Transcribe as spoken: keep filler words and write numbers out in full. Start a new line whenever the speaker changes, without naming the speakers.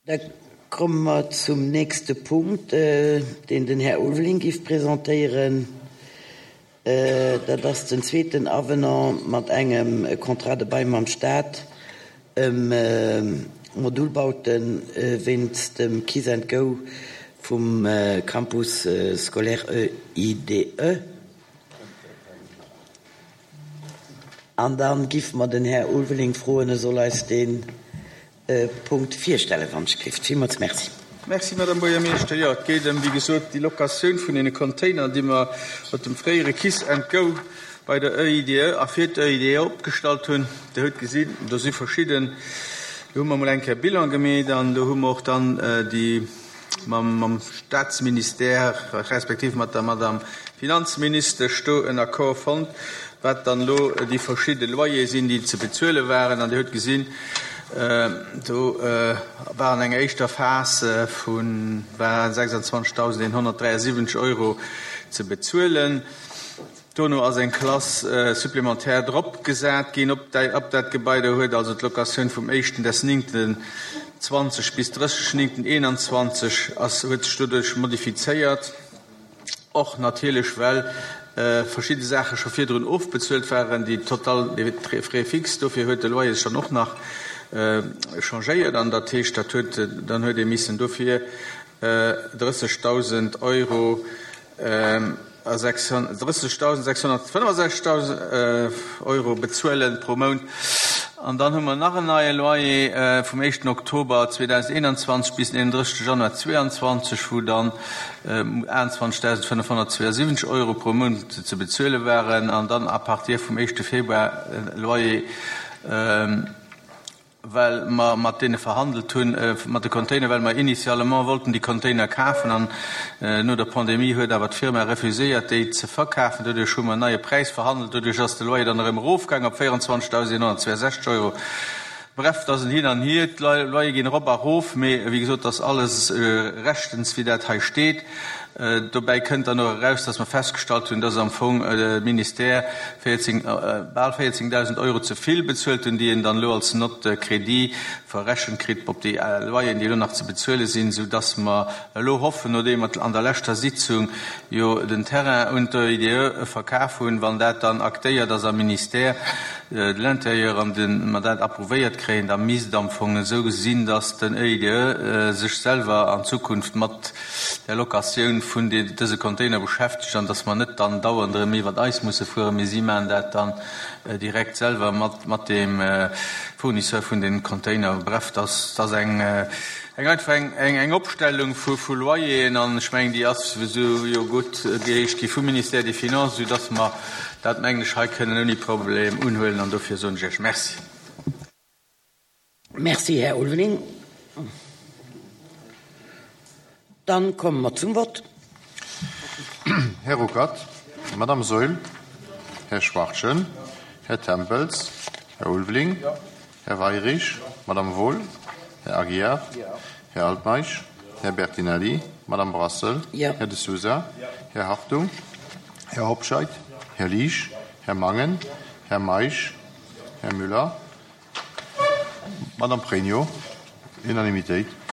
Da komme mer zum nächste Punkt, deen den Här Ulveling géif presentéieren. Dat ass den zweeten Avenant mat engem Contrat de bail mam Staat ëm Modulbaute wéinst dem Kiss and Go vum Campus scolaire E I D E. An da giffe mer den Här Ulveling froen, e soll eis dee Punkt virstellen, wann ech gelift. Villmools merci.
Merci, Madame Buergermeeschter. Jo, et geet ëm, wéi gesot, déi Locatioun vun deene Container, déi mer mat dem fréiere Kiss and Go bei der E I D E a fir d'E I D E opgestallt hunn. Dir hutt gesinn, do si verschidden, do hu mer emol eng Kéier Bilan gemeet an do hu mer och dann déi mam, mam Staatsministère respektiv mat der Madame Finanzministesch do en Accord fonnt, wat dann elo déi verschidde Loyer sinn, déi ze bezuele waren. An Dir hutt gesinn, do war an enger éischter Phas vu war sechsanzwanzegdausendeenhonnertdräiasiwwenzeg Euro ze bezuelen. Dono ass eng Klass supplémentaire drop gesat ginn op op dat Gebai. Do huet also d'Locatioun vum éischten des néngten zwanzeg bis drësseg néngten eenanzwanzeg ass huet sech doduerch modifizéiert. Och natierlech, well verschidde Saache scho virdrun ofbezuelt waren, déi total frais fixes. Dofir huet de Loyer sech dann och nach changéiert an dat heescht, dat huet dann huet ee missen dofir drëssegdausend Euro a drëssegdausendsechshonnertfënnefsechzegdausend Euro bezuelen pro Mount. An dann hu mer nach en neie Loyer vum éischten Oktober zweedausendeenanzwanzeg bis den eenundrëssegste Januar zwéianzwanzeg, wou dann aachtundzwanzegdausendfënnefhonnertzweiasiwwenzeg Euro pro Mount ze bezuele waren. An dann à partir vum éischte Februar Loyer, well mer mat deene verhandelt hunn, mat de Container, well mer initialement wollten déi Container kafen an no der Pandemie huet awer d'Firma refuséiert, déi ze verkafen. Doduerch hu mer en neie Präis verhandelt, doduerch ass de Loyer dann erëm erofgaang op véierundzwanzegdausendeenhonnertzweiasechzeg Euro. Bref, et ass en Hin an Hier, d'Loyer ginn erop a erof, mee wéi gesot, et ass alles rechtens, wéi dat hei steet. Dobäi kënnt dann och eraus, dass mer festgestallt hunn, dass am Fong de Ministère bal véierzéngdausend Euro ze vill bezuelt hunn, déi en dann elo als Note crédit verrechent kritt op déi Loyeren, déi elo nach ze bezuele sinn, soudass mer elo hoffen, nodeem mer an der leschter Sitzung jo den Terrain un d'E I D E verkaf hunn, wann dat dann aktéiert ass am Ministère de l'Intérieur an mer dat approuvéiert kréien, da misst et am Fong esou sinn, dass den E I D E sech selwer an Zukunft mat der Locatioun vun dëse Container beschäftegt an dass mer net dann dauernd erëm iwwert eis musse fueren, mee si maachen dat dann direkt selwer mat mat deem Fournisseur vun den Container. Bref, dass ass eng eng einfach eng eng eng Opstellung vu vu Loyeren an ech mengen, déi ass esou jo gutt geheescht gi vum Ministère des Finances, soudass mer dat, mengen ech, hei kënnen ouni Problem unhuelen an dofir soen ech Iech Merci.
Merci, Här Ulveling. Dann komme mer zum Vott.
Här Ruckert, Madame Saeul, Här Schwachtgen, Här Tempels, Här Ulveling, Här Weyrich, Madame Wohl, Här Aguiar, Här Altmeisch, Här Bertinelli, Madame Brassel, Här De Sousa, Här Hartung, Här Hobscheit, Här Liesch, Här Mangen, Här Meisch, Här Müller, Madame Pregno. Unanimitéit.